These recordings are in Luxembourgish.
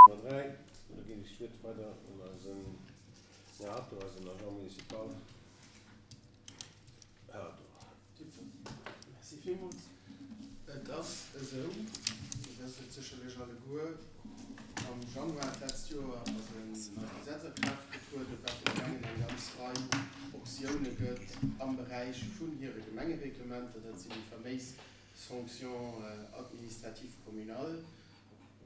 Nummer 3, an da ginn ech d'Wuert weider un eisen Här Atto, eisen Agent municipal. Här Atto. Merci villmools. Et ass esou, Dir wësst et sécherlech alleguer, am Januar d'letzt Joer ass en neit Gesetz a Kraaft getrueden, wat de Gemengen eng ganz Rei Optioune gëtt am Beräich vun hire Gemengereglementer. Dat sinn déi faméis Sanctions administratives communales.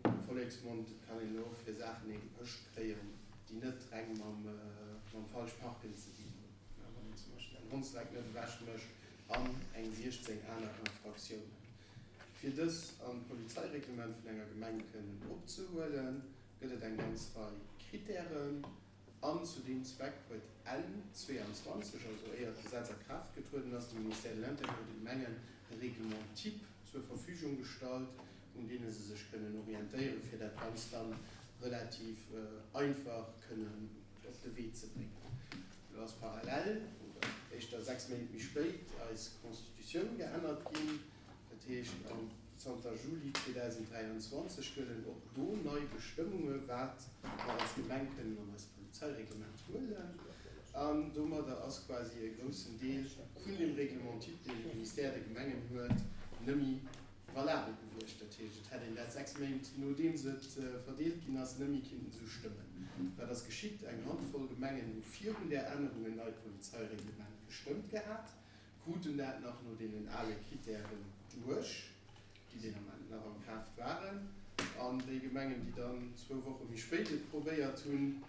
Am Volleksmond, et kann een elo och fir Saachen ee gepëscht kréien, déi net reng mam falsch Parken ze dinn hunn, wann een zum Beispill säin Hondsdreck net ewech mécht an eng 16 aner Infraktiounen. Fir dës an d'Polizeireglement vun enger Gemeng kënnen opzehuelen, gëtt et eng ganz Rei Krittären. An zu deem Zweck huet Enn 22, also éier d'Gesetz a Kraaft getrueden ass, de Ministère de l'Intérieur de Gemengen e Règlement type zur Verfügung gestallt, un deene se sech kënnen orientéieren, fir dat Ganzt dann relativ einfach kënnen op de Wee ze bréngen. Elo ass parallel, oder éischter 6 Méint méi spéit, eis Constitutioun geännert ginn. Dat heescht, zanter Juli 2023 gëllen och do nei Bestëmmunge wat mer als Gemeng kënnen an eist Polizeireglement huelen. An domadder ass quasi e groussen Deel vun deem Règlement type, deen de Ministère de Gemengen huet, nëmmi valabel gewiescht. Dat heescht, et hätt een dat 6 Méint nodeems et verdeelt ginn ass, nëmmi kinnten esou stëmmen. Wat ass geschitt? Eng Handvoll Gemengen hu virun där Ännerung en neit Polizeireglement gestëmmt gehat. Kruten dat nach no deenen ale Kritären duerch, déi deen Ament nach a Kraaft waren. An déi Gemengen, déi dann zwou Woche méi spéit et probéiert hunn,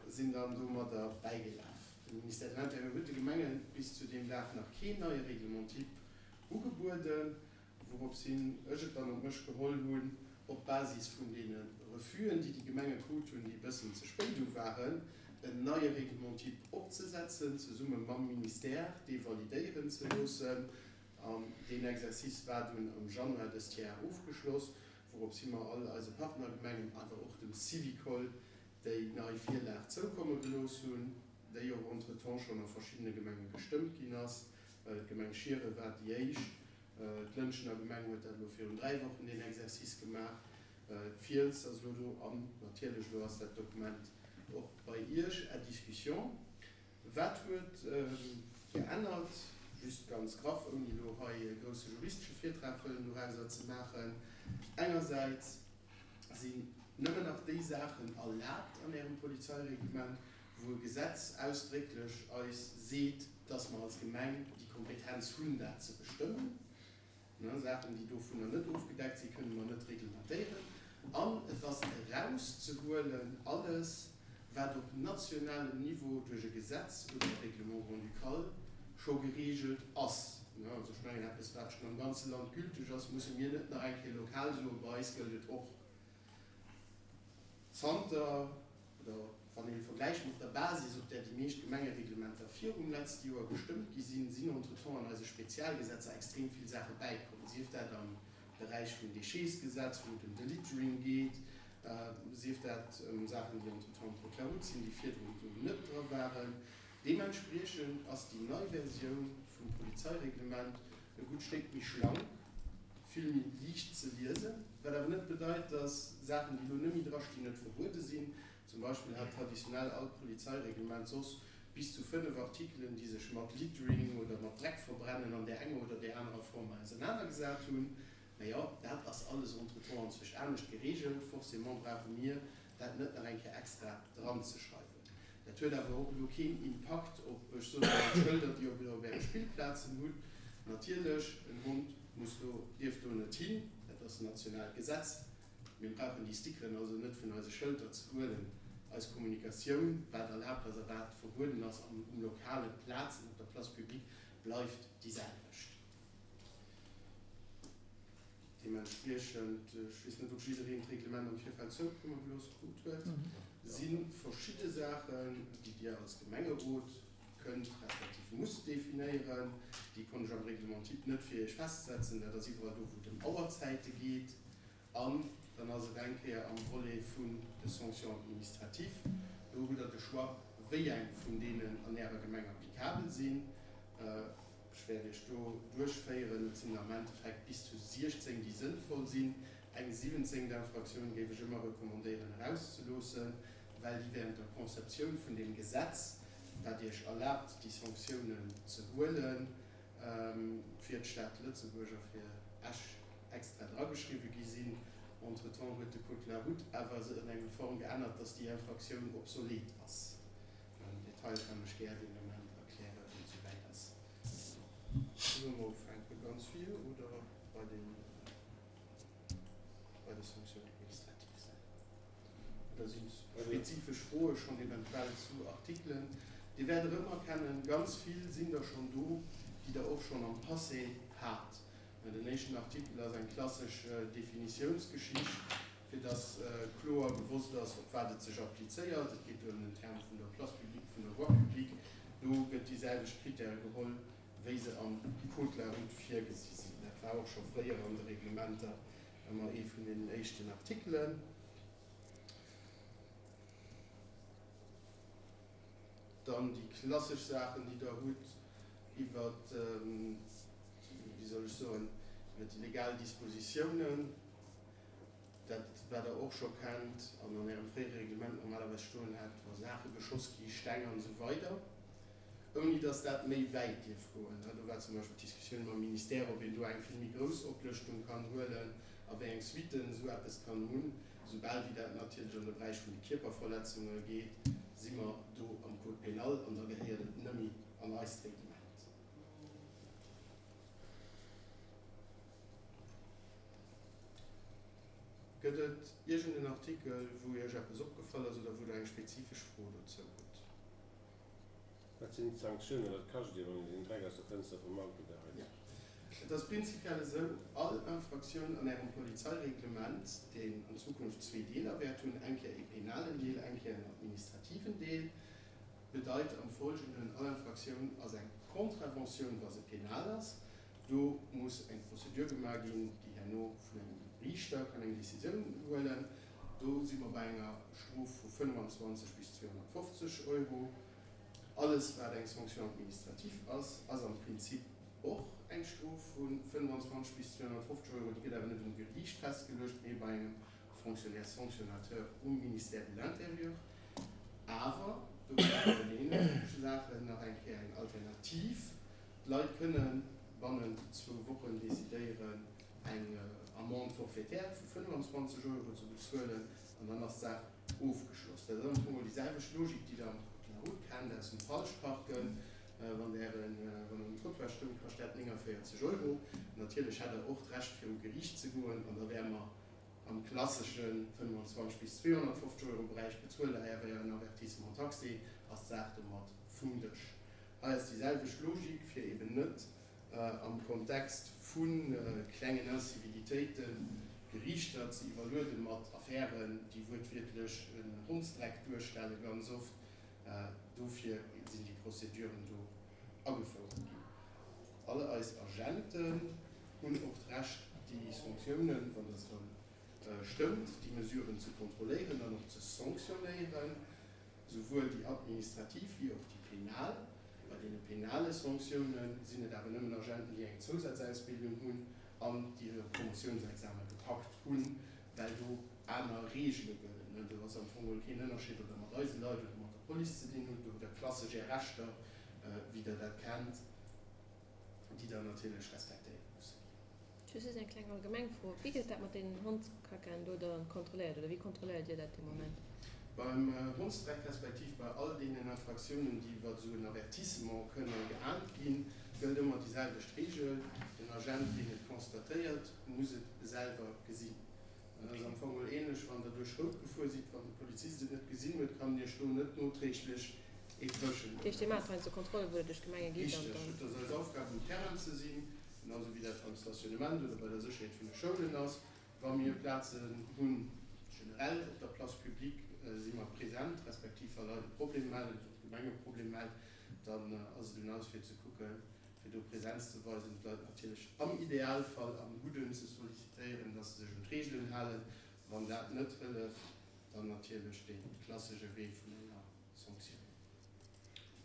sinn dann domadder bäigelaf. De Ministère de l'Intérieur huet de Gemenge bis zu deem Dag nach keen neie Règlement type ugebueden, wouropshin ech et dann op mech geholl hunn, op Basis vun deene Refus'en, déi déi Gemenge krut hunn, déi e bëssen ze spéit u waren, en neie Règlement type opzesetzen, zesumme mam Ministère, dee validéieren ze loossen. An deen Exercice war dunn am Januar dëst Jar ofgeschloss, wouropshi mer all eise Partnergemengen, awer och dem Syvicol, déi nei Virlag zoukomme gelooss hunn, déi och entretemps schonn a verschiddene Gemenge gestëmmt ginn ass. D'Gemeng Schieren war déi éischt. D'Lëntgener Gemeng huet dat elo virun 3 Wochen, deen Exercice gemaach. D'Fiels ass elo do an natierlech elo ass dat Dokument och bei Iech à discussion. Wat huet geännert? Just ganz graff, ouni elo hei e grousse juristesche Virtrag wëllen dorauser ze maachen. Engersäits sinn nëmmen nach déi Saachen erlaabt an Ärem Polizeireglement, wou e Gesetz ausdrécklech eis seet, dass mer als Gemeng déi Kompetenz hunn, dat ze bestëmmen. Saachen, déi dovunner net ofgedeckt sinn, kënne mer net reglementéieren. An et ass erauszehuelen alles, wat op nationalem Niveau duerch e Gesetz oder e Règlement grand-ducal scho geregelt ass. Also ech mengen, eppes, wat schonn am ganze Land gülteg ass, musse mir net nach eng Kéier lokal soen, bei eis gëllt et och. Zanter, oder wann een vergläicht mat der Basis, op där déi meescht Gemengereglementer virum letzte Joer gestëmmt gi sinn, sinn entretemps an eise Spezialgesetzer extrem vill Saache bäikomm, sief dat am Beräich vum Déchetsgesetz, wou et ëm de Littering geet, sief dat ëm Saachen, déi entretemps am Code de la route sinn, déi virdrun do net dra waren. Deementspriechend ass déi nei Versioun vum Polizeireglement e gutt Stéck méi schlank, vill méi liicht ze liesen, wat awer net bedeit, dass Saachen, déi elo net méi drastinn, net verbuede sinn. Zum Beispill hat traditionell all Polizeireglement soss bis zu 5 Artikelen, déi sech mat Littering oder mat Dreckverbrennen an där enger oder där anerer Form ausernanergesat hunn. Mä jo, dat ass alles entretemps anzwëscht anescht geregelt. Forcément brauche mir dat net nach eng Kéier extra dranzeschreiwen. Dat huet awer och elo keen Impakt op, ech soen emol, d'Schëlder, déi Dir op Äre Spillplazen hutt. Natierlech, en Hond muss do, dierf do net hin, dat ass en nationaalt Gesetz. Mir brauchen déi Stickeren also net vun eise Schëlter ze huelen. Eis Kommunikatioun, wat erlaabt ass a wat verbueden ass an um lokale Plazen, op der Place publique, bleift déi selwecht. Deementspriechend, ech weess net, ob jiddereen d'Reglement am Virfeld zoukomme gelooss krut huet, si verschidde Saachen, déi Dir als Gemengerot kënnt respektiv musst definéieren. Déi konnt ech am Règlement type net fir Iech festsetzen. Dat ass iwwerall do, wou et ëm Auerzäite geet. An dann ass et eng Kéier am Volet vun de Sanctions administratives. Do hutt Der de Choix, wéi eng vun deenen an Ärer Gemeng applicabel sinn. Ech wäert Iech do duerchféieren. Et sinn am Endeffekt bis zu 16, déi sënnvoll sinn. Eng siwwenzéngt Infraktioun géif ech ëmmer recommandéieren erauszeloossen, well déi während der Conceptioun vun deem Gesetz, wat Iech erlaabt déi Sanktiounen ze huelen, fir d'Stad Lëtzebuerg a fir Esch extra drageschriwwe gi sinn. Entretemps huet de Code de la route awer se an engem Form geännert, dass déi Infraktioun obsolet ass. Am Detail kann ech gär deen Ament erklären, wann et souwäit ass. Solle mer ufänke ganz vir oder bei den, bei de Sanctions administratives? Oder si spezifesch Froe schonn eventuell zu Artikelen? Dir wäert erëmerkennen, ganz vill sinn der schonn do, déi Der och schonn am Passé hat. Den éischten Artikel ass eng klassesch Definitiounsgeschicht, fir dass kloer gewosst ass, op wat et sech applizéiert. Et geet do ëm den Term vun der Place publique, vun der Voie publique. Do gëtt déi selwecht Kritäre geholl, wéi se am Code de la route virgesi sinn. Dat war och scho fréier an de Reglementer ëmmer ee vun deenen éischten Artikelen. Dann déi klassesch Saachen, déi Der hutt iwwer, wéi soll ech soen, iwwer déi legal Dispositiounen, dat wat Der och scho kennt an an Ärem fréiere Reglement normalerweis stoen hat, wa Saache geschoss gi, Steng an esou weider, ouni dass dat méi wäit dierf goen. Do war zum Beispill d'Diskussioun mam Ministère, ob een do eng vill méi grouss Oplëschtung kann huelen a wéi eng Suitten esou eppes kann hunn. Soubal wéi dat natierlech an de Beräich vun de Kierperverletzunge geet, si mer do am Code pénal an da gehéiert et nëmme an eist Reglement. Gëtt et iergend en Artikel, wou Iech eppes opgefall ass oder wou Der eng spezifesch Fro dozou hutt? Wat sinn d'Sanktiounen? Wat kascht Dir, wann Dir den Dreck aus der Fënster vum Auto geheit? Et ass prinzipiell esou, All Infraktioun an Ärem Polizeireglement, deen an Zukunft zwee Deeler wäert hunn, eng Kéier ee penalen Deel, eng Kéier en administrativen Deel, bedeit am Folgenden, All Infraktioun ass eng Contraventioun, wa se penal ass. Do muss eng Prozedur gemaach ginn, déi herno vun engem Riichter kann eng Decisioun huelen. Do si mer bei enger Strof vu 25 bis 250 Euro. Alles, wat eng Sanction administrative ass, ass am Prinzip och eng Strof vu 25 bis 250 Euro. Déi gëtt awer net um Geriicht festgeluecht, mee bei engem Fonctionnaire sanctionnateur um Ministère de l'Intérieur. Awer do gëtt et bei den inhaltleche Saachen nach eng Kéier eng Alternativ. D'Leit kënne bannent zwou Wochen decidéieren, eng Amende forfaitaire vu 25 Euro ze bezuelen an dann ass d'Saach ofgeschloss. Dat ass am Fong och déi selwecht Logik, déi Der am Code de la route kennt aus dem Falschparken. Wann Der wann um Trottoir stoung, kascht dat 49 Euro. Natierlech hätt Der och d'Recht viru Geriicht ze goen an da wäre mer am klassesche 25 bis 250 Euro Beräich. Bezuelt Der awer en Avertissement taxé, ass d'Saach domat vum Dësch. Hei ass déi selwecht Logik, fir eben net am Kontext vu klengen Incivilitéiten d'Geriichter ze iwwerluede mat Affären, déi wuertwiertlech en Hondsdreck duerstellen, ganz oft. Dofir sinn déi Prozeduren do agefouert ginn. All eis Agenten hunn och d'Recht, déi Sanktiounen, wann dat da stëmmt, déi Mesuren ze kontrolléieren an och ze sanktionéieren. Souwuel déi administrativ wéi och déi penal. Bei deene penale Sanktioune sinn et awer nëmmen Agenten, déi eng Zousazausbildung hunn an déi hire Promotiounsexame gepackt hunn, well do aner Reegele gëllen. Do ass am Fong geholl keen Ënnerscheed, ob Der mat eise Leit oder mat der Police ze dinn hutt. Do hutt Der klassesch Är Rechter, wéi Der dat kennt, déi Der natierlech respektéiere musse ginn. Just eng kleng allgemeng Fro, Wéi gëtt dat mat deenen Hondskackaen do dann kontrolléiert oder wéi kontrolléiert Dir dat de Moment? Beim Hondsdreck respektiv bei all deenen Infraktiounen, déi iwwer esou en Avertissement kënne geahnt ginn, gëllt ëmmer déi selwecht Reegel, Den Agent, deen et constatéiert, muss et selwer gesinn. Dat ass am Fong mol ähnlech, wann Der duerch Rout gefuer sidd, wann de Polizist et net gesinn huet, kann en Iech do net noträglech ee Fëschen Dat heescht, Dir maacht heiansdo Kontrollen, wou Der duerch d'Gemenge gitt an Richteg. dann. Et ass eis Aufgab, um Terrain ze sinn, genau esou wéi dat beim Stationnement oder bei der Sécherheet vun de Schoulen ass. Wa mir Plazen hunn, generell op der Place publique si mer present, respektiv wa Leit e Problem mellen, wann d'Gemeng e Problem mellt, dann ass et un eis fir ze kucken, fir do Präsenz ze weisen, d'Leit natierlech am Idealfall am Gudden ze sollicitéieren, dass se sech un d'Reegelen halen. Wann dat net hëlleft, dann natierlech dee klassesche Wee vun enger Sanktioun.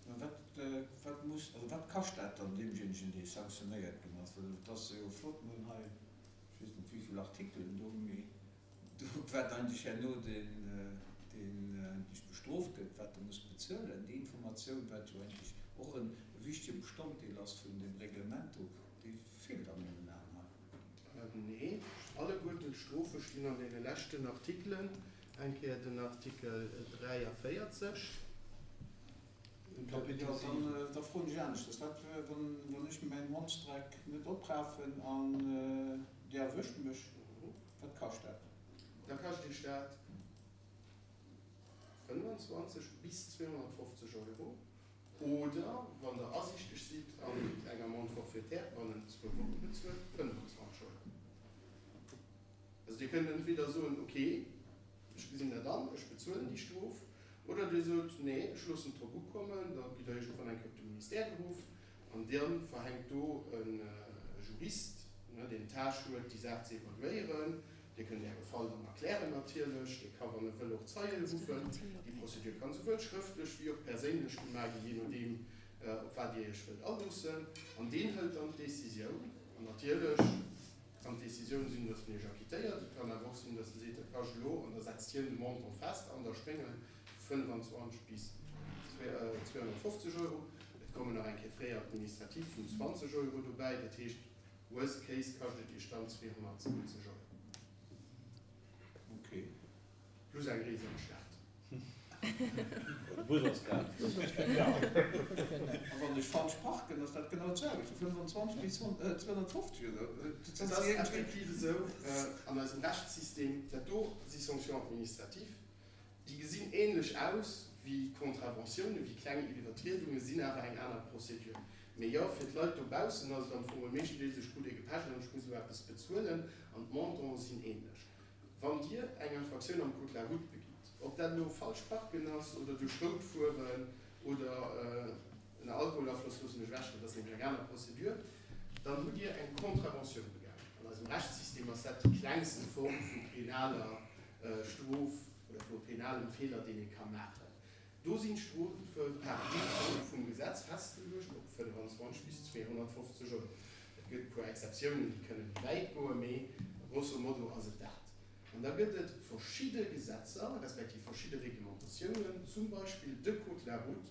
Mä wat, wat muss, also wat kascht dat dann deemjéinegen, dee sanktionéiert ginn ass? Well et ass jo flott, mir hunn hei. Ech weess net wéivill Artikelen do, mee do wat eigentlech herno deen deen eigentlech bestrooft gëtt, wat e muss bezuelen, déi Informatioun, wat jo eigentlech och e wichtege Bestanddeel ass vun deem Reglement do, déi feelt a mengen Aen hei. Nee, alleguerten d'Strofe stinn an deene leschten Artikelen, eng Kéier den Artikel 43. Kapitel 7. Da froen ech aneschters, Wat wann ech mäin Hondsdreck net oprafen an Dir erwëscht mech, wat kascht dat? Da kascht Iech dat 25 bis 250 Euro oder, wann Der asiichteg sidd an eng Amende forfaitaire bannent zwou Woche bezuelt, 25 Euro. Also Dir kënnt entweder soen, ok, ech gesinn dat an, ech bezuelen déi Strof, oder Dir sot, nee, ech loossen et drop ukommen, da gitt Der iergendwann eng Kéier op de Ministère geruff an da verhänkt do e Jurist, deen d'Tâche huet, déi Saach ze evaluéieren. Dir kënnt Äre Fall dann erklären natierlech. Dee ka wann e wëll och Zeien ruffen. Déi Prozedur kann souwuel schrëftlech wéi och perséinlech gemaach ginn, jee nodeem op wat Dir Iech wëllt aloossen. An deen hëlt dann d'Décisioun. An natierlech kann d'Décisioun sinn, datt en Iech acquittéiert. Et kann awer och sinn, datt e seet, dat kascht elo, an da setzt hien de Montant fest an der Spéngel vu 25 bis 250 Euro. Et kommen nach eng Kéier Frais administratifs vun 20 Euro dobäi. Dat heescht, worst case kascht et Iech dann 270 Euro. Okay. Plus eng Rees an d'Stad. De Bus ass gratis. A wann ech falsch parken, ass dat genau d'selwecht, vu 25 bis 250 oder? Dat ass effektiv esou an eisem Rechtssystem. Dat do si Sanctions administratives, déi gesinn ähnlech aus wéi Contraventiounen, wéi kleng Iwwertriedungen, sinn awer eng aner Procédure. Mee jo, fir d'Leit dobaussen ass et am Fong meeschtendeels, ech krut ee gepecht an ech muss elo eppes bezuelen, an d'Montanten sinn ähnlech. Wann Dir eng Infraktioun am Code de la route begitt, ob dat elo falsch parken ass oder duerch rout fueren oder ënner Alkoholafloss, loossen ech ewech, dat ass nämlech eng aner Procédure, dann hutt Dir eng Contraventioun begaangen. An eisem Rechtssystem ass dat déi klengste Form vu penaler Strof oder vu penalem Feeler, deen ee ka maachen. Do sinn d'Strofe par défaut vum Gesetz festgeluecht op 25 bis 250 Euro. Et gëtt e puer Exceptiounen, déi kënne méi wäit goen, mee grosso modo ass et dat. An da gëtt et verschidde Gesetzer, respektiv verschidde Reglementatiounen, zum Beispill de Code de la route,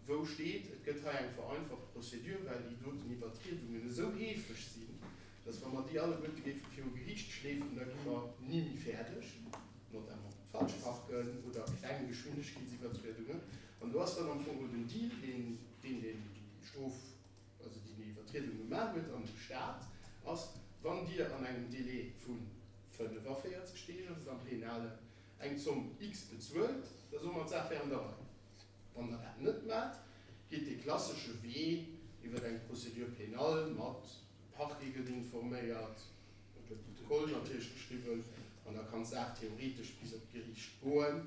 wou steet, et gëtt hei eng vereinfacht Procédure, well déi doten Iwwertriedungen esou heefeg sinn, dass wa mer déi alleguerte géife viru Geriicht schleefen, da gi mer ni méi fäerdeg. notamment Falschparken oder kleng Geschwindegkeetsiwwertriedungen, an do ass dann am Fong den Deal, deen deen deen déi Strof, also deen déi Iwwertriedung gemaach huet, an dem Staat ass, wann Dir an engem Délai vu 45 Deeg, ass et am Penalen, eng Zomm X bezuelt, da soe mer, d'Saach wär an der Rei. Wann Der dat net maacht, geet dee klassesche Wee iwwer eng Procédure pénale mat, de Parquet gëtt informéiert, Et gëtt Protokoll natierlech geschriwwen an da kann d'Saach theoretesch bis op d'Geriicht goen,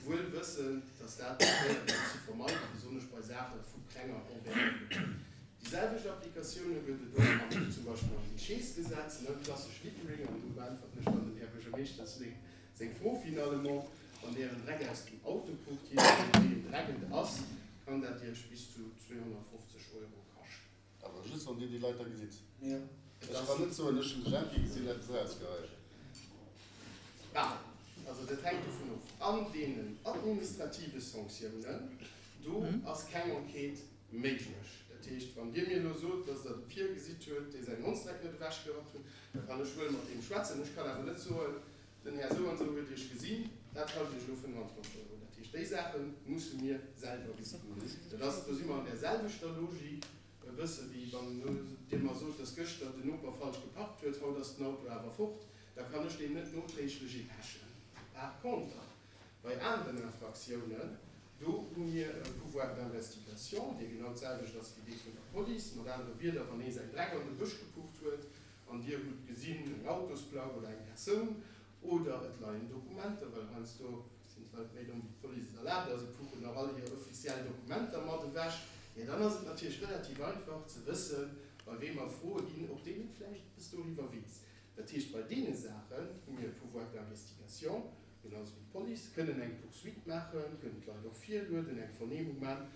wuel wëssend, dass dat probéiert gëtt ze vermeiden, besonnesch bei Saache vu klenger Envergure. Déi selwecht Applikatioune gëtt et och am, zum Beispill am Déchetsgesetz, ne, klassesch Littering, an do beäntwerten ech dann dem Här Buergermeeschter seng Fro finalement, Wann Dir Ären Dreck aus dem Auto pucht, jee nodeem wéi een Dreck et ass, kann dat Iech bis zu 250 Euro kaschten. Awer just wann dir déi Leit da gesitt. Ech kann net soen, ech hunn de Jempi gesinn, eppes erausgeheien. Bah, also dat hänkt dovun of. An deenen administrative Sanktiounen, do ass keng Enquête méiglech. Dat heescht, wann Dir mir elo sot, dass Der de Pier gesitt huet, dee säin Hondsdreck net ewechgerappt huet, da kann ech wuel mat deem schwätzen. Ech kann awer net soen, den Här esou an esou huet Iech gesinn, dat kascht Iech elo 25 Euro. Dat heescht, déi Saache musse mir selwer gesinn. Dat ass, do si mer an där selwechter Logik, e bësse wéi wann Dir mer sot, dass gëschter den Noper falsch geparkt huet, haut ass den Auto awer fort, da kann ech deem net noträglech ee pechen. Par contre, bei aneren Infraktiounen, do hu mir e Pouvoir d'investigation, dee genau d'selwecht ass wéi dee vun der Police. Mat anere Wierder, wann ee säin Dreck an de Bësch gepucht huet an Dir hutt gesinn eng Autosplack oder eng Persoun oder et leien Dokumenter, well heiansdo sinn d'Leit méi domm wéi d'Police et erlaabt a se puchen nach all hir offiziell Dokumenter mat ewech, jo dann ass et natierlech relativ einfach ze wëssen, bei weem mer froe ginn, ob deen net vläicht eppes doriwwer weess. Dat heescht, bei deene Saachen hu mir e Pouvoir d'investigation, genau esou wéi d'Police, kënnen eng Poursuite maachen, kënnen d'Leit och virlueden, eng Vernehmung maachen.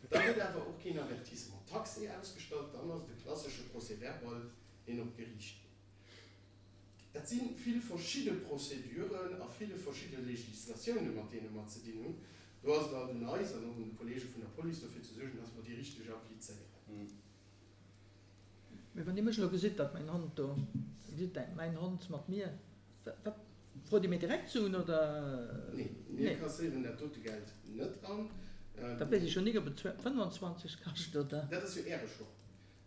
Da gëtt awer och keen Avertissement taxé ausgestallt, dann ass et e klassesche Procès-verbal, deen op d'Geriicht geet. Dat si vill verschidde Prozeduren a ville verschidde Législatiounen, mat deene mer ze dinn hunn. Do ass et alt un eis an och un de Kollege vun der Police, dofir ze suergen, dass mer déi richteg applizéieren. Mee wann Dir mech elo gesitt, datt mäin Hond do, Dir gesitt dat, mäin Hond mat mir, wat, frot Dir mir direkt Suen oder? Nee, mir kasséieren dat dote Geld net an. Da weess ech jo nik, ob et 25 kascht oder? Dat ass jo Äre Choix.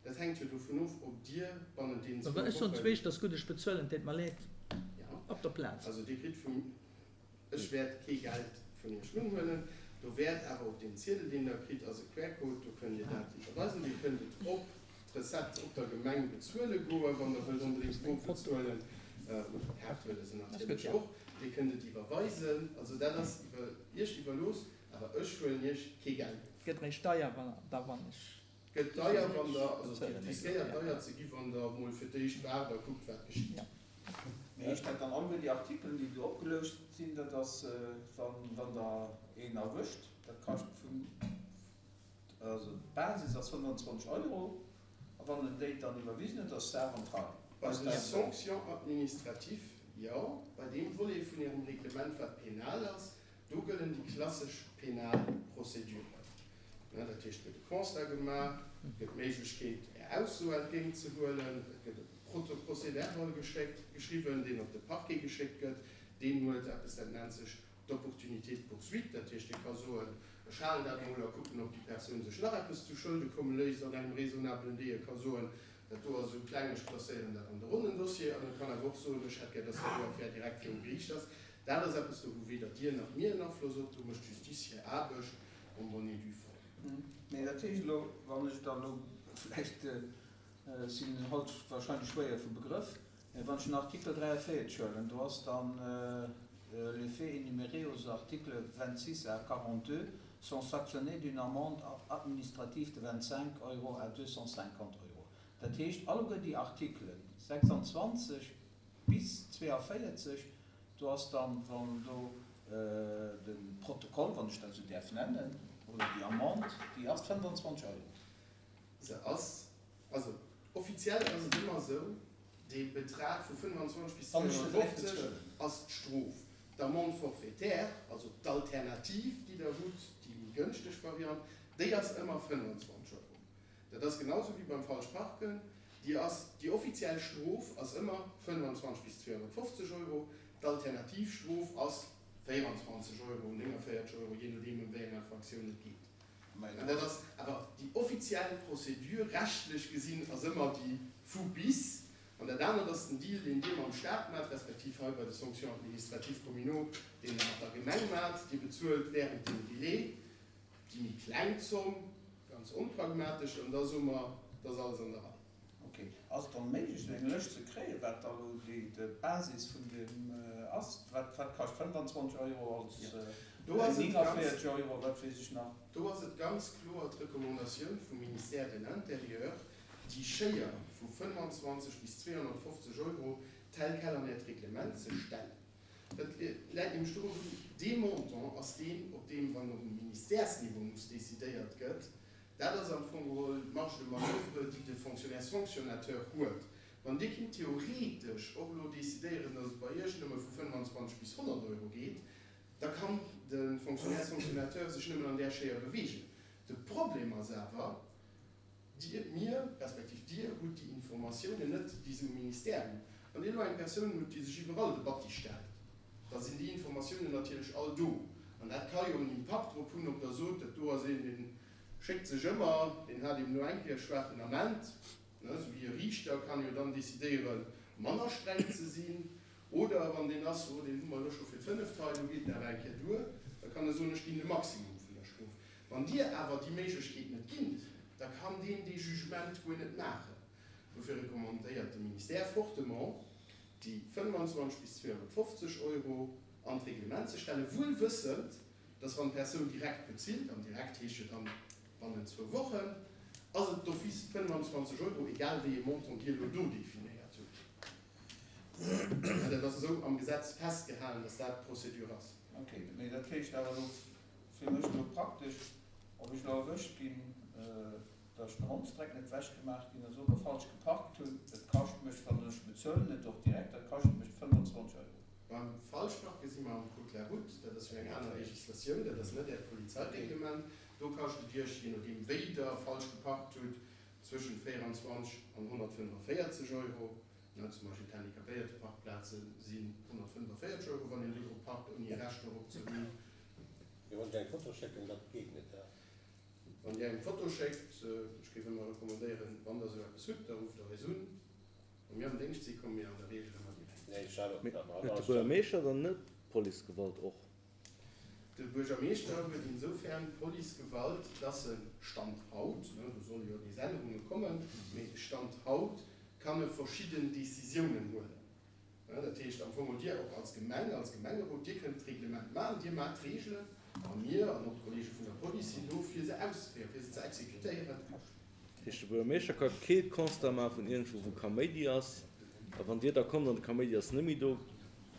Dat hänkt jo dovun of, ob Dir bannent deenen zwou Wochen. Ech soen zwee, ass gutt, ech bezuelen, deet mer leed, op der Plaz. Also Dir kritt vum, ech wäert kee Geld vun Iech unhuelen, do wäert awer op deem Ziedel, deen Der kritt, ass e QR-Code, do kënnt Dir dat iwwerweisen. Dir kënnt et op d'Recette op der Gemeng bezuele goen, wann Der wëllt onbedéngt bor bezuelen, oder Kaart huele se natierlech och. Dir kënnt et iwwerweisen, also dat ass iwwer Iech iwwerlooss, awer ech huelen Iech kee Geld of. Gëtt méi deier da wann ech. Gëtt deier wann der, also et riskéiert deier ze gi wann der mol fir d'éischt waart a kuckt wat geschitt. Mee heescht dat dann alleguer déi Artikelen déi do opgeloust sinn, dat ass wann wann der een erwëscht, dat kascht vun, also d'Basis ass 25 Euro a wann en déi dann iwwerwisen huet ass d'Saach an d'Rei? Bei de Sanctions administratives, jo, bei deem Volet vun Ärem Reglement wat penal ass, Do gëllen déi klassesch penal Prozeduren. Dat heescht, et gëtt e Constat gemaach, et gëtt d'Méiglechkeet, Är Ausso entgéintzehuelen, et gëtt e Procès-verbal geschéckt, geschriwwen, deen op de Parquet geschéckt gëtt. Deen huet eppes, dat nennt sech d'Opportunité de poursuite. Dat heescht, dee ka soen, ech halen dat emol a kucken, ob déi Persoun sech nach eppes zu Schëlde komme léisst an engem raisonnablen Délai. E ka soen, dat do ass esou kleng, ech klasséieren dat an de ronnen Dossier. An e kann awer och soen, ech hätt gär, dass dat do Affär direkt virum Geriicht ass. Dat ass eppes, do hu weder Dir nach mir en Afloss op, do mécht d'Justice hir Aarbecht en bonne et due forme. Mee dat heescht elo, wann ech da elo vläicht, ech sinn haut wahrscheinlech schwéier vu Begrëff, mä wann ech den Artikel 43 huelen, do ass dann les faits énumérés aux articles 26 à 42 sont sanctionnés d'une amende administrative de 25 euros à 250 euros. Dat heescht, alleguer déi Artikelen 26 bis 42, Do ass dann, wann do de Protokoll, wann ech dat esou däerf nennen, oder déi Amende, déi ass 25 Euro. Se ass, also offiziell ass et ëmmer esou, dee Betrag vu 25 bis 250 ass d'Strof. D'Amende forfaitaire, also d'Alternativ, déi Der hutt, déi méi gënschteg Variant, déi ass ëmmer 25 Euro. Dat ass genau esou wéi beim falsch Parken. Déi ass, déi offiziell Strof ass ëmmer 25 bis 250 Euro, d'alternativ Strof ass 24 Euro, 49 Euro, jee nodeem ëm wéi eng Infraktioun et geet. An dat ass awer déi offiziell Procédure, rechtlech gesinn ass ëmmer déi vu bis. An dat anert ass den Deal, deen Dir mam Staat maacht, respektiv hei bei de Sanctions administratives communaux, deen Der mat der Gemeng maacht. Dir bezuelt während dem Délai Déi méi kleng Zomm, ganz onpragmatesch, an da soe mer, et ass alles an der Rei. Ok. Ass et dann méiglech, esou eng Lëscht ze kréien, wat da elo d'Basis vun deem ass? Wat kascht 25 Euro als 49 Euro, wat weess ech nach? Do ass et ganz kloer d'Recommandatioun vum Ministère de l'Intérieur, déi Schéier vu 25 bis 250 Euro tel quel an Äert Reglement ze stellen. Dat läit nämlech dorun, dee Montant ass deen, op deem, wann op Ministèresniveau muss decidéiert gëtt, dat ass am Fong geholl d'Marge de manoeuvre, déi de Fonctionnaire sanctionnateur huet. Wann Dir kinnt theoretesch och elo decidéieren, datt et bei Iech nëmme vu 25 bis 100 Euro geet, da kann de Fonctionnaire sanctionnateur sech nëmmen an där Schéier beweegen. De Problem ass awer, Dir, mir, respektiv Dir hutt déi Informatiounen net, déi se um Ministère hunn. Wann Dir elo eng Persoun hutt, déi sech iwwerall de Batti stellt, da sinn déi Informatiounen natierlech all do. An dat ka jo en Impakt drop hunn, ob Der sot, dat do ass een, dee schéckt sech ëmmer, deen hat eben elo eng Kéier e schwaachen Ament. Esou wéi e Riichter kann jo dann decidéieren, manner streng ze sinn. Oder wann deen ass, oh, deen hu mer elo scho fir d'fënneft hei, elo geet et awer eng Kéier duer, da kann e soen, ech ginn de Maximum vun der Strof. Wann Dir awer déi Méiglechkeet net ginnt, da kann deen dee Jugement guer net maachen. Dofir recommandéiert de Ministère fortement, déi 25 bis 250 Euro an d'Reglement ze stellen, wuel wëssend, dass wann d'Persoun direkt bezilt, an direkt heescht jo dann bannent zwou Wochen, ass et d'office 25 Euro, egal wéi ee Montant Dir elo do definéiert hutt. Mä dat ass esou am Gesetz festgehalen, dass dat d'Procédure ass. Ok, mee dat heescht awer elo fir mech elo praktesch, ob ech elo erwëscht ginn. Dass den Hondsdreck net wech gemaach ginn ass oder falsch geparkt hunn, et kascht mech, wann ech bezuelen et och direkt, dat kascht mech 25 Euro. Beim Falschparke si mer am Code de la route, dat ass jo eng aner Législatioun, dat ass net Äert Polizeireglement. Do kascht et Iech, jee nodeem wéi Der falsch geparkt hutt, zwëschent 24 an 145 Euro. Zum Beispill d'Handicapéierteparkplaze sinn 145 Euro, wann een do drop parkt, ouni e Recht dorop ze hunn. Mir wollen eng Foto schécken, dat geet net, he? Wann Dir eng Foto schéckt, ech géif ëmmer recommandéieren, wann Der esou eppes hutt, da rufft Der eis un. Wa mir am Déngscht sinn, komme mir an der Reegel ëmmer direkt. Nee, ech hat och Mee huet de Buergermeeschter dann net Policegewalt och? De Buergermeeschter huet insoufern Policegewalt, dass e Stand haut, do solle jo nees Ännerunge kommen, mee Stand haut kann e verschidden Décisiounen huelen. Dat heescht am Fong, Dir och als Gemeng, als Gemengerot, Dir kënnt d'Reglement maachen, Dir maacht d'Regelen a mir an och d'Kollege vun der Police sinn do, fir se auszeféieren, fir se ze exekutéieren. Dat heescht, de Buergermeeschter ka kee Constat maache vun iergendwou, wou Kaméidi ass. A wann Dir da kommt an de Kaméidi ass net méi do,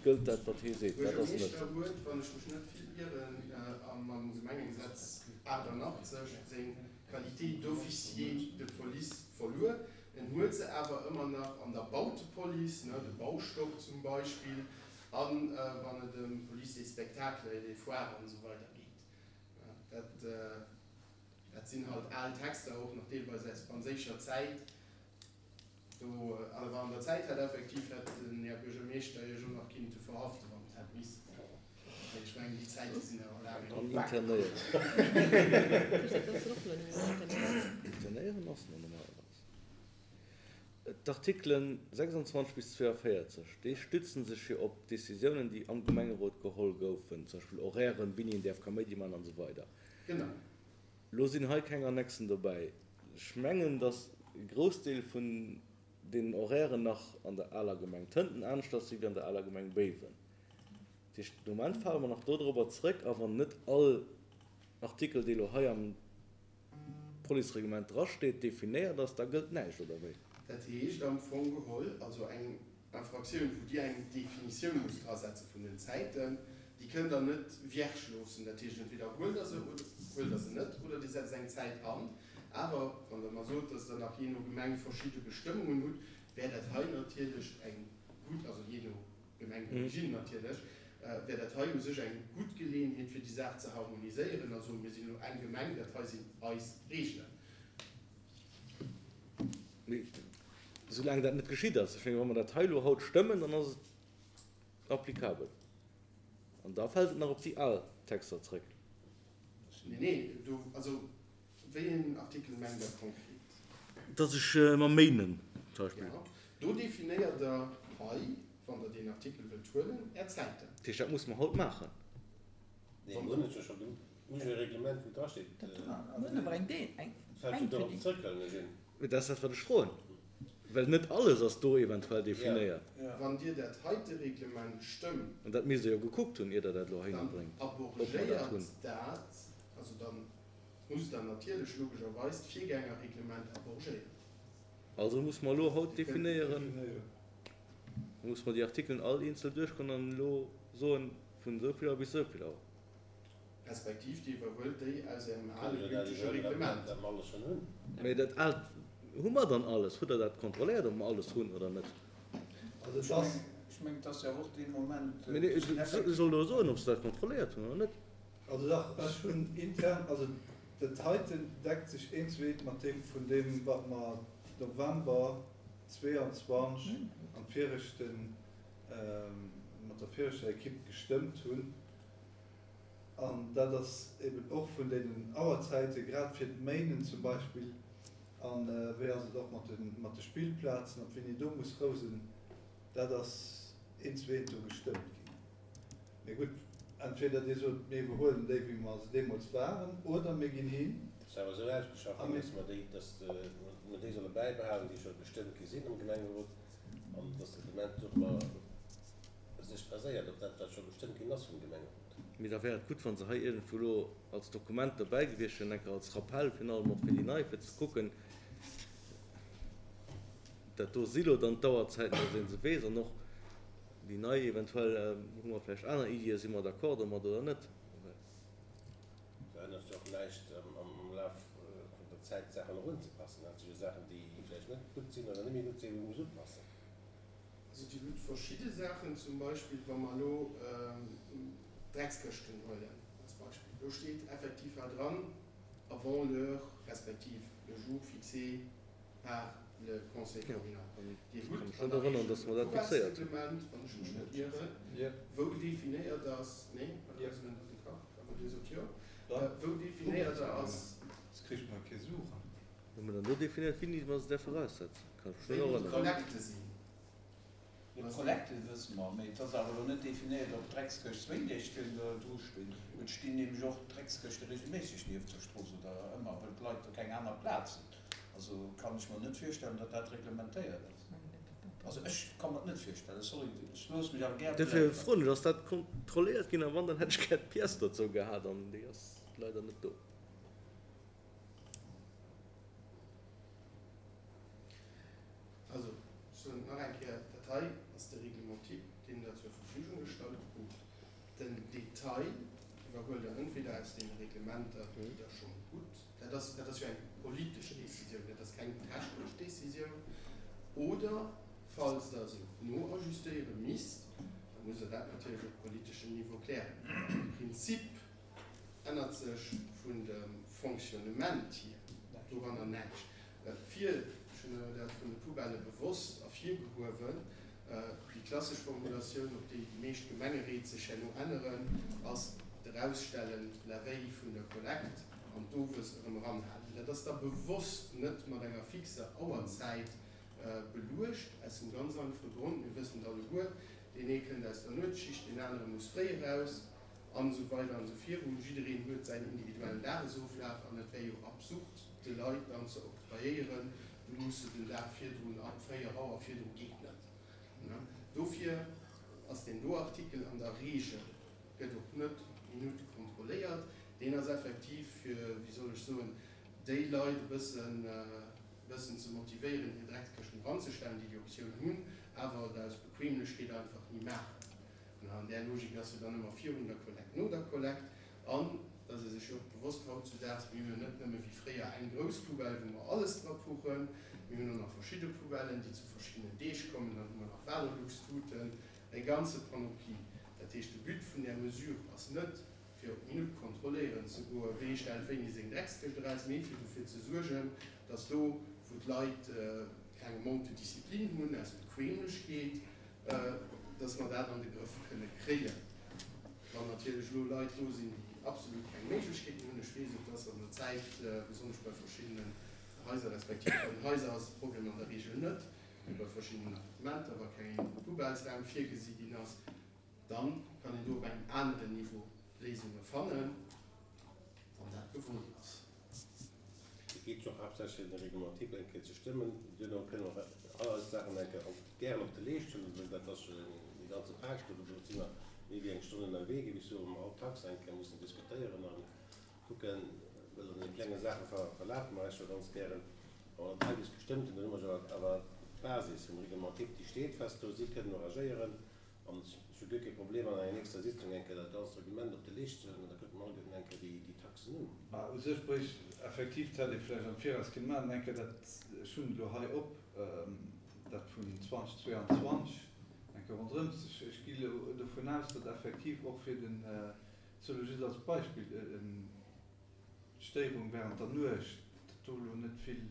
gëllt dat, wat hee seet. De Buergermeeschter huet, wann ech mech net vill ieren, am Gemengegesetz 88 seng Qualité d'officier de police verluer. En huet se awer ëmmer nach an der Bautepolice, ne, de Baustock zum Beispill, a wann et ëm d'Police des spectacles et des foires an esou weider geet. Dat, dat sinn halt al Texter, och nach deelweis aus franséischer Zäit. Do, awer an der Zäit hätt effektiv hätt den Här Buergermeeschter Iech och nach kinnte verhaften, wann et hätt missen. Mee ech mengen, déi Zäite sinn awer laang An internéieren. Internéieren ass nach normalerweis. D'Artikelen 26 bis 42, déi stützen sech jo op Décisiounen, déi am Gemengerot geholl goufen, zum Beispill Horairen, wéini een däerf Kaméidi maachen an esou weider. Genau. Lo sinn hei keng Annexen dobäi. Ech mengen, datt e Groussdeel vun deenen Horairen nach an der aler Gemeng Tënten aneschters si wéi an der aler Gemeng Béiwen. Dat heescht, de Moment fale mer nach dodrobber zrëck, a wann net all Artikel, dee lo hei am Policereglement drasteet, definéiert ass, da gëllt näischt, oder wéi? Dat heescht am Fong geholl also eng Infraktioun, wou Dir eng Definitioun musst drasetze vun den Zäiten, déi kënnt Der net vierge loossen. Dat heescht, entweder huelt Der se oder huelt Der se net oder Dir setzt eng Zäit an. Awer wann Der mer sot, dass Der nach jee no Gemeng verschidde Bestëmmungen hutt, wär dat hei natierlech eng gutt, also jee no Gemeng d'origine natierlech, wär dat hei u sech eng gutt Geleeënheet, fir déi Saach ze harmoniséieren a soen, Mir sinn elo eng Gemeng, dat hei sinn eis Reegelen. Mee soulaang dat net geschitt ass, ech mengen, wa mer dat hei elo haut stëmmen, dann ass et applicabel an da fält et nach op déi al Texter zrëck. Nee, nee, do, also wéi een Artikel mengt Der konkret? Dass ech mam Méinen zum Beispill. Jo, do definéiert Der hei, wann Der deen Artikel wëllt huelen, Är Zäiten. Dat heescht, dat musse mer haut maachen. Nee, mir hunn et jo scho gemaach. Mir hu jo e Reglement, wou drasteet. Dat dra, mir hunn awer eng Dee, eng Fält jo dorop zrëck, well ech een. Mee dat ass dat, wat ech froen. Well net alles ass do eventuell definéiert. Wann Dir dat heite Reglement stëmmt. An dat misst Der jo gekuckt hunn, ier Der dat elo heihinner Dann bréngt, ob mer dat hunn. abrogéiert dat, also da musst Der natierlech logescherweis d'Virgängerreglement abrogéieren. Also muss mer elo haut definéieren, muss mer déi Artikelen all eenzel duerchgoen an elo soen, vun esou vill Auer bis esou vill Auer. Respektiv Dir iwwerhuelt déi aus Ärem ale gültege Reglement. Mee dat aalt, hu mer dann alles? Hutt Der dat kontrolléiert, ob mer alles hunn oder net? Also et ass. Ech mengen, et ass jo och dee Moment. Mee nee, ech soll elo soen, ob se dat kontrolléiert hunn oder net. Also dach, ech hunn intern, also dat heiten deckt sech eent zu eent mat deem vun deem, wat mer November 22 am viregten, mat der viregter Equipe gestëmmt hunn. An dat ass eben och vun deenen Auerzäite grad fir d'Méinen zum Beispill. A wéi ass et och mat de, mat de Spillplazen, ab wéini do muss Rou sinn, dat ass eent zu eent do gestëmmt ginn. Mee gutt, entweder Dir sot, mir iwwerhuelen déi, wéi mer se deemools waren, oder mir ginn hin. Et ass awer esou ausgeschafft ginn, dass mer déi, dass mer déi solle bäibehalen, déi scho gestëmmt gi sinn am Gemengerot, an dass d'Reglement dorobber sech baséiert op dat, wat scho gestëmmt ginn ass vum Gemengerot. Mee da wär et gutt, wa se hei iergendwou elo als Dokument dobäi gewiescht wieren, enker als Rappell, virun allem och fir déi Nei, fir ze kucken, dat do si lo dann d'Auerzäiten, dass ee se weess, an och déi Nei eventuell, hu mer vläicht aner Iddien, si mer d'accord domat oder net. Verännert jo och näischt am Laf vun der. Zäit d'Saachen och unzepassen. Dat si jo Saachen, déi vläicht net gutt sinn oder net méi gutt sinn, wou ee muss upassen. Also Dir hutt verschidde Saachen, zum Beispill wa mer elo d'Dreckskëschten huelen als Beispill, do steet effektiv hei dran, avant l'heure respektiv le jour fixé par le Conseil communal. Dir hutt an der Regel e Poubellesreglement, wann ech mech net ieren, wou definéiert ass, nee, wat ass elo net de Kach, awer Dir sot jo, wou definéiert ass, Hu mer dann do definéiert, wéini mer se däerfe eraussetzen? Kann ech mech net wéini erënneren. d'Kollekte sinn. D'Kollekte wësse mer, mee et ass awer elo net definéiert, ob d'Dreckskëscht zwéin Deeg virdru stinn. Et stinn nämlech och Dreckskëschte regelméisseg nieft der Strooss oder ëmmer, wëll d'Leit do keng aner Plaz hunn. Also kann ech mer net virstellen, datt dat reglementéiert ass. Also ech ka mer et net virstellen, sorry, ech loosse mech awer gär Dofir beléieren. froen ech, ass dat kontrolléiert ginn? A wann, dann hätt ech gär d'Pièce dozou gehat an déi ass leider net do. Also, ech soen et nach eng Kéier, Dat hei ass de Règlement type, deen Der zur Verfügung gestallt krut. Den Detail iwwerhuelt Der entweder aus deene Reglementer, déi Der schonn hutt, dat ass, dat ass jo eng politesch Décisioun, dat ass keng technesch Décisioun, oder falls Der se noajustéiere misst, da musst Der dat natierlech op politeschem Niveau klären. Awer am Prinzip ännert sech vun dem Fonctionnement hier doranner näischt. Fir, ech hunn dat vun de Poubellë bewosst ervirgehuewen, déi klassesch Formulatioun, op déi déi meescht Gemengeréit sech herno änneren, ass d'Erausstellen la veille vun der Kollekt an d'owes erëm eranhalen. Dat ass da bewosst net mat enger fixer Auerzäit beluecht, aus dem ganz einfache Grond, mir wëssen et alleguer, deen ee kënnt aus der Nuetsschicht, deen anere muss fréi eraus, an esou weider an esou virun. Jiddereen huet säin individuellen Dagesoflaf an et wär jo absurd, de Leit dann ze octroyéieren, du muss se den Dag virdrun ab 4 Auer, virdru geet net. Dofir ass deen do Artikel an der Regel, gëtt och net op d'Minutt kontrolléiert, deen ass effektiv fir, wéi soll ech soen, déi Leit e bëssen, bëssen ze motivéieren, hir Dreckskëschten eranzestellen, déi déi Optioun hunn, awer et aus Bequemlechkeet einfach ni maachen. An där Logik ass jo dann ëmmer virun der Kollekt, no der Kollekt. An et ass ee sech jo och bewosst hautzudaags, mir hunn jo net nëmme wéi fréier eng grouss Poubelle, wou mer alles dra puchen, mir hunn och nach verschidde Poubellen, déi zu verschiddenen Deeg kommen, dann hu mer nach Valorlux-Tuten, eng ganze Panoplie. Dat heescht, de But vun där Mesure ass net, fir op d'Minutt kontrolléieren ze goen, wee stellt wéini seng Dreckskëscht eraus, mee fir dofir ze suergen, dass do, wou d'Leit keng Manque de discipline hunn, aus Bequemlechkeet, dass mer dat an de Grëff kënne kréien. Wann natierlech elo Leit do sinn, déi absolut keng Méiglechkeeten hunn, ech weess, et ass an der Zäit, besonnesch bei verschiddenen Haiser, respektiv bei den Haiser ass de Problem an der Regel net, mee bei verschiddenen Appartementer, wa keng Poubellesraum virgesi ginn ass, dann kann een do op engem aneren Niveau Léisunge fannen, wann dat gewollt ass. Et geet jo och haaptsächlech ëm de Règlement type eng Kéier ze stëmmen. Duerno kënne mer all eis Saachen eng Kéier gären op de Leescht huelen, well dat ass jo eng ganze Page do. Do si mer méi wéi eng Stonn ënnerwee gewiescht, wou mer all Tax eng Kéier mussen diskutéieren a kucken, well an deene klenge Saache verlafe mer eis jo ganz gären. Wa mer dat hei bis gestëmmt hunn, dann hu mer jo awer d'Basis vum Règlement type, déi steet fest do. Si kënnen och agéieren. An ech hu guer kee Problem, an enger nächster Sitzung eng Kéier dat ganzt Reglement op de Leescht ze huelen, an da kucke mer alleguerten eng Kéier déi Taxen un. Mä u sech bréicht effektiv, dat hätt ee vläicht am Viraus kënne maachen, eng Kéier dat, ech hunn et elo hei op, dat vun 2022 eng Kéier ronderëm ze. Ech gi elo dovun aus, datt effektiv och fir den, ech soe elo just als Beispill, d'Stéierung während der Nuecht, datt do elo net vill,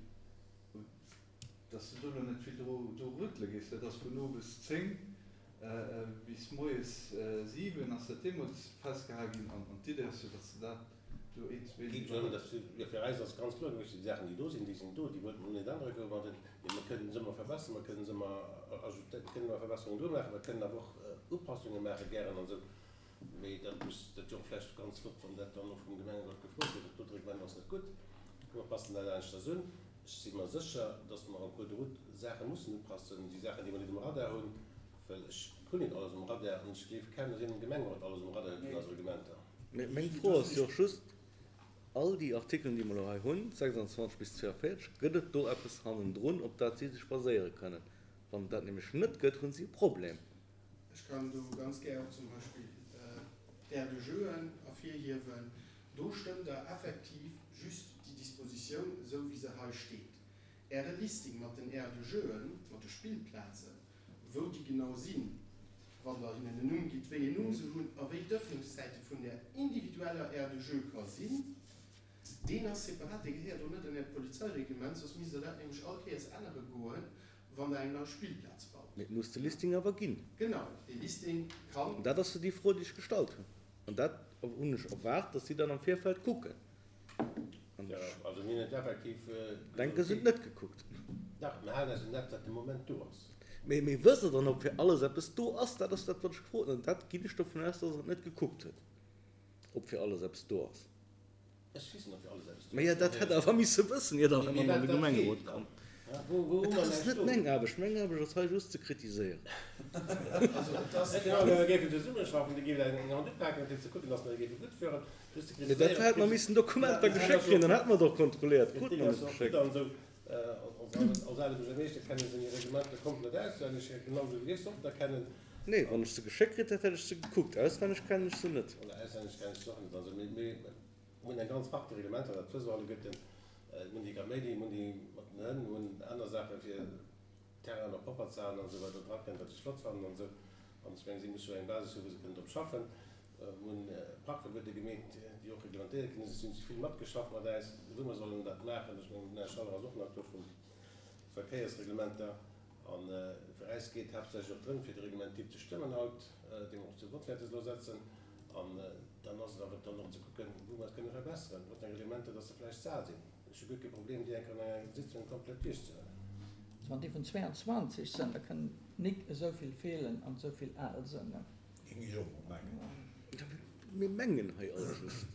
Dass de do elo net vill dru rüttele géifs, dat ass vun owes 10 bis moies 7 ass dat deemools festgehal ginn an d'Idee ass jo, dass de dat do iergendwéi. Geet jo ëm, dass jo fir eis ass ganz kloer gewiescht, déi Saachen déi do sinn, déi sinn do, déi wollte mer net ännere goen, mä mer kënnen se ëmmer verbessern, mer kënnen se ëmmer ajoutéieren, kënnen ëmmer Verbesserungen do maachen, mer kënnen awer och Upassunge maache gären an esou. Mee dat muss, dat wier och vläicht ganz flott, wann dat dann och vum Gemengerot gefrot gëtt, dat dote Reglement ass net gutt, mer passen dat aneschters un. Ech si mer sécher, dass mer en cours de route Saache mussen upassen, déi Saachen, déi mer net um Radar hunn, well ech hunn net alles um Radar an ech gleef kaum, dass een am Gemengerot alles um Radar huet vun eise Reglementer. Mee meng Fro ass jo och just, All déi Artikelen, déi mer elo hei hunn, 26 bis 42, gëtt et do eppes hannendrun, op dat si sech baséiere kënnen? Wann et dat nämlech net gëtt, hunn si e Problem. Ech kann do ganz gär och zum Beispill d'Aires de jeuxen ervirhiewen. Do stëmmt Der effektiv just déi. Dispositioun esou wéi se hei steet. Äre Listing mat den Aires de jeuxen, mat de Spillplazen, wou déi genau sinn, wann Der hinnen en Numm gitt, wéi een Numm se hunn a wéi d'Ëffnungszäite vun där individueller Aire de jeu ka sinn, deen ass separat, dee gehéiert och net an Äert Polizeireglement, soss misst Der dat nämlech all Kéiers ännere goen, wann Der eng nei Spillplaz baut. Mee et muss de Listing awer ginn. Genau, dee Listing kann. An dat ass jo déi Fro, déi ech gestallt hunn. An dat hunn ech erwaart, dass si dann am Virfeld kucken. An ech. Also mir hunn et effektiv. Denke se hunn et net gekuckt. Dach, mir halen eis un dat, wat de Moment do ass. Mee, mee wësst Der dann, ob fir alles eppes do ass? Dat ass dat, wat ech gefrot hunn. An dat ginn ech dovun aus, dass Der et net gekuckt hutt, ob fir alles eppes do ass. Ech weess net, ob fir alles eppes do ass. Maja, dat hätt Der awer misse wëssen, ier Der hei mat an de Gemengerot kommt. Dat ass net meng Aarbecht. Meng Aarbecht ass hei just ze kritiséieren. Mee dofir hätte mer missen Dokumenter geschéckt kréien, dann hätte mer et och kontrolléiert. Krute mer net geschéckt. Nee, wann ech se geschéckt kritt hätt, hätt ech se gekuckt. Auswenneg kennen ech se net. Mir hunn eng ganz Partie Reglementer, dat wësse mer alleguerten. Mir hunn déi Kaméidi, mir hunn déi mat den Hënn, mir hunn aner Saache fir Terrainen och propper ze halen an esou weider drakënnt, wat ech flott fannen an esou. An ech mengen, si musse jo eng Basis hu wou se kënnen drop schaffen. Mir hunn Parkverbuete gemeet, déi och reglementéiert ginn sinn. Si hunn vill matgeschafft mat äis, wou mer sollen dat maachen. Ech mengen, den Här Schaller ass och nach do vum Verkéiersreglementer. A fir äis geet et haaptsächlech och drëm, fir de Reglement type ze stëmmen haut, dee mer och zu Vott wäerte elo setzen. An dann ass et awer dann och ze kucken, wou mer et kënne verbesseren, mat enge Reglementer, dass se vläicht ze al sinn. Ech hu guer kee Problem, déi eng Kéier an enger Sitzung komplett duerchzehuelen. Wann déi vun 22 sënn, da kënnen nik esou vill feelen an esou vill al sënn. Géing ech och mol mengen. Mir mengen hei all just.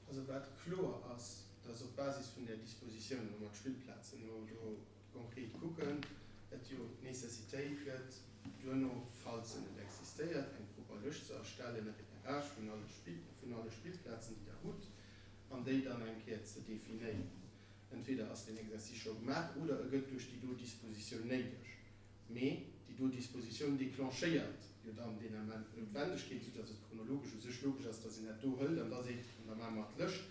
Also wat kloer ass, dass op Basis vun där Dispositioun, wou mer d'Spillplazen elo do konkret kucken, et jo d'Nécessitéit gëtt, duerno, falls se net existéiert, eng propper Lëscht ze erstellen, e Repérage vun alle Spill, vun alle Spillplazen, déi Der hutt, an déi dann eng Kéier ze definéieren. Entweder ass deen Exercice scho gemaach oder e gëtt duerch déi do Dispositioun néideg. Mee déi do Dispositioun déclenchéiert jo dann deen Ament d'Noutwendegkeet, soudass et chronologesch u sech logesch ass, dass een dat do hëlt an da seet, an da maache mer d'Lëscht,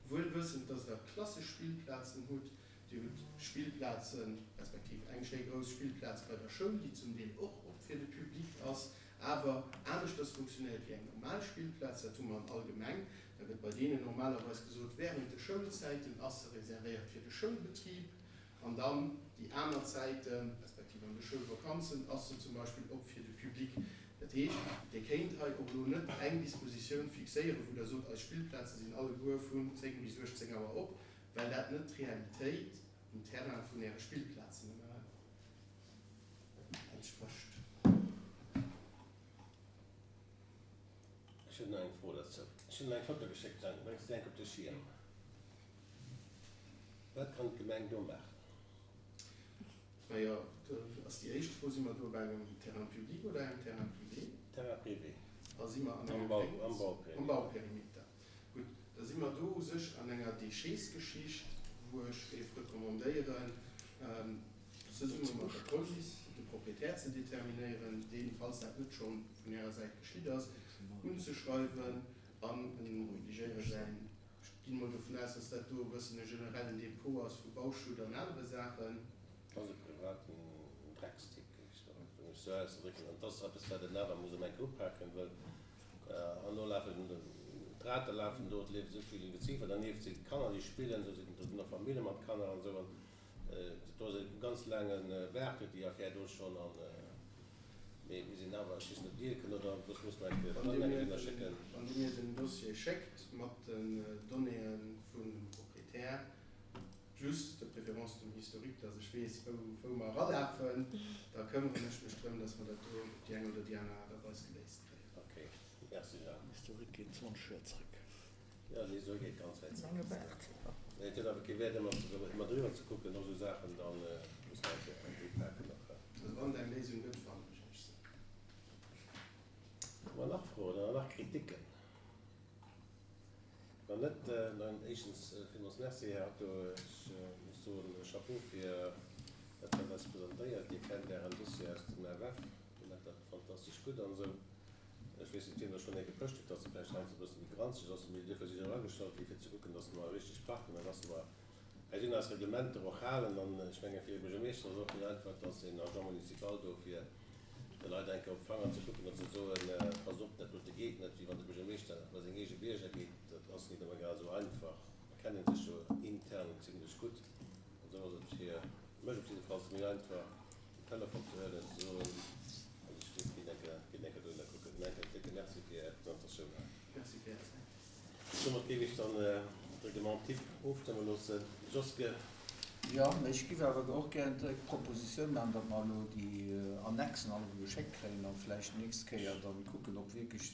wuel wëssend, dass Der klassesch Spillplazen hutt, Dir hutt Spillplazen, respektiv eng schéi grouss Spillplaz bei der Schoul, déi zum Deel och op fir de Public ass, awer aneschters funktionéiert wéi eng normal Spillplaz. Dat hu mer an all Gemeng. Da gëtt bei deenen normalerweis gesot, während de Schoulzäiten ass se reservéiert fir de Schoulbetrib an dann déi aner Zäiten, respektiv an de Schoulvakanzen, ass se zum Beispill op fir de Public. Dat heescht, Dir kéint hei och elo net eng Dispositioun fixéieren, wou Der sot, eis Spillplaze sinn alleguer vun 10 bis 18 Auer op, Well dat net d'Realitéit um Terrain vun Äre Spillplazen entsprécht. Ech hunn nach eng Fro derzou. Ech hunn der eng Foto geschéckt, Jeanny, bréngs de déi enk op de Schierm? Wat kann d'Gemeng do maachen? Majo, do ass déi éischt Fro, Si mer do bei engem Terrain public oder engem Terrain privé? Terrain privé. A si mer an engem Am Am Bauperimeter. Gutt, da si mer do u sech an enger Déchetsgeschicht, wou ech géif recommandéieren, zesumme mat der Police de Proprietär ze determinéieren, deen, falls dat net scho vun Ärer Säit geschitt ass, unzeschreiwen an en obligéiere säin, ech ginn emol dovun aus, dass dat do e bëssen e generellen Depot ass vu Bauschutt an anere Saachen. Dat ass e privaten Dreckstipp, géif ech mech esou ausdrécken. An et ass eppes, wat een awer muss ëm eng Kéier upaken, wëll Herno lafen d'Rate lafen do, et leeft esou vill Geziefer dernieft, si Kanner déi spillen, do sinn do sinn och Famille mat Kanner an esou an do ass e ganz laange Baart huet déi Affär do schonn an mee mir sinn awer, ech weess net ob Dir kënnt oder soss muss mer eng Kéier Wann Dir mir den, wann Dir mir den Dossier schéckt mat den Donnéeë vun dem Proprietär plus de préférence dem Historique, dass ech weess wou wou mer eralafen, da këmmeren ech mech drëm, dass mer dat do op déi eng oder déi aner Aart a Weis geléist kréien. Ok, merci Jean. Historique geet 20 Joer zréck. Jo, den Historique geet ganz wäit zréck. Mee et huet awer kee Wäert ëmmer ze ëmmer driwwer ze kucken, och esou Saachen, da muss mer eng Kéier eng upaken och. Also wann et eng Léisung gëtt, fannen ech iech se. Hu mer nach Froen oder nach Kritiken? Wann net, dann éischtens villmools Merci, Här Atto. Ech muss soen, Chapeau fir dat, wat Der eis presentéiert. Dir kennt Ären Dossier aus dem FF. Dir maacht dat fantastesch gutt an esou. Ech weess net, wiem der schonn eng gepëscht huet, dass se vläicht heiansdo e bësse méi granzeg ass, mee duerfir si se och agestallt gi fir ze kucken, dass mer richteg parken an dass mer eis un eis Reglementer och halen. An ech menge fir e Buergermeeschter ass et och méi einfach, dass een Agent municipal do fir de Leit eng Kéier op d'Fanger ze kucken an ze soen, Passt op, dat dote geet net, wéi wann de Buergermeeschter bei seng eege Bierger geet. Dat ass nit ëmmer grad esou einfach. Mer kennen sech jo intern zimlech gutt an esou ass et fir mech op jiddefalls méi einfach, den Telefon ze huelen an ze soen, also ech géif ginn eng Kéier, ginn eng Kéier dohinner kucken. Mä en décke Merci fir Är Presentatioun hei. Merci fir Är Zäit. Domat géif ech dann d'Règlement type ofstëmme loossen. Joske. Jo, mä ech giff awer och gären direkt d'Propositioun maachen, datt mer elo déi Annexen alleguer geschéckt kréien a vläicht d'nächst Kéier dann kucken, ob wierklech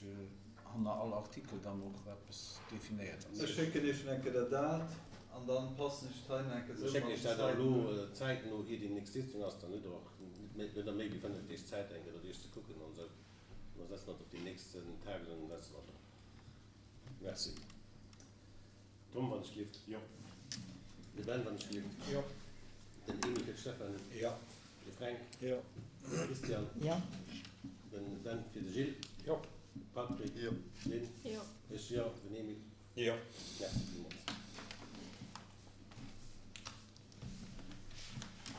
hanner all Artikel dann och eppes definéiert ass. Ech schécken Iech eng Kéier dat an dann passen ech et hei nach eng Kéier esou mat den Zäiten un. Ech schécken Iech dat elo zäitno, ier déi nächst Sitzung ass, dann hutt Der och net méi wéi 5 Deeg Zäit eng Kéier dat Iech ze kucken an esou. An da setzen mer et op déi nächsten Tagesordnung, setzen mer et drop. Merci. Tom, wann ech gelift. Jo. De Ben, wann ech gelift. Jo. Den Emil fir d'Stéphanie. Jo. De Fränk. Jo. De Christian. Jo. Den Ben fir de Gilles. Jo. Patrick. Jo. D'Lynn. Jo. Ech jo. Den Emil. Jo. Merci villmools.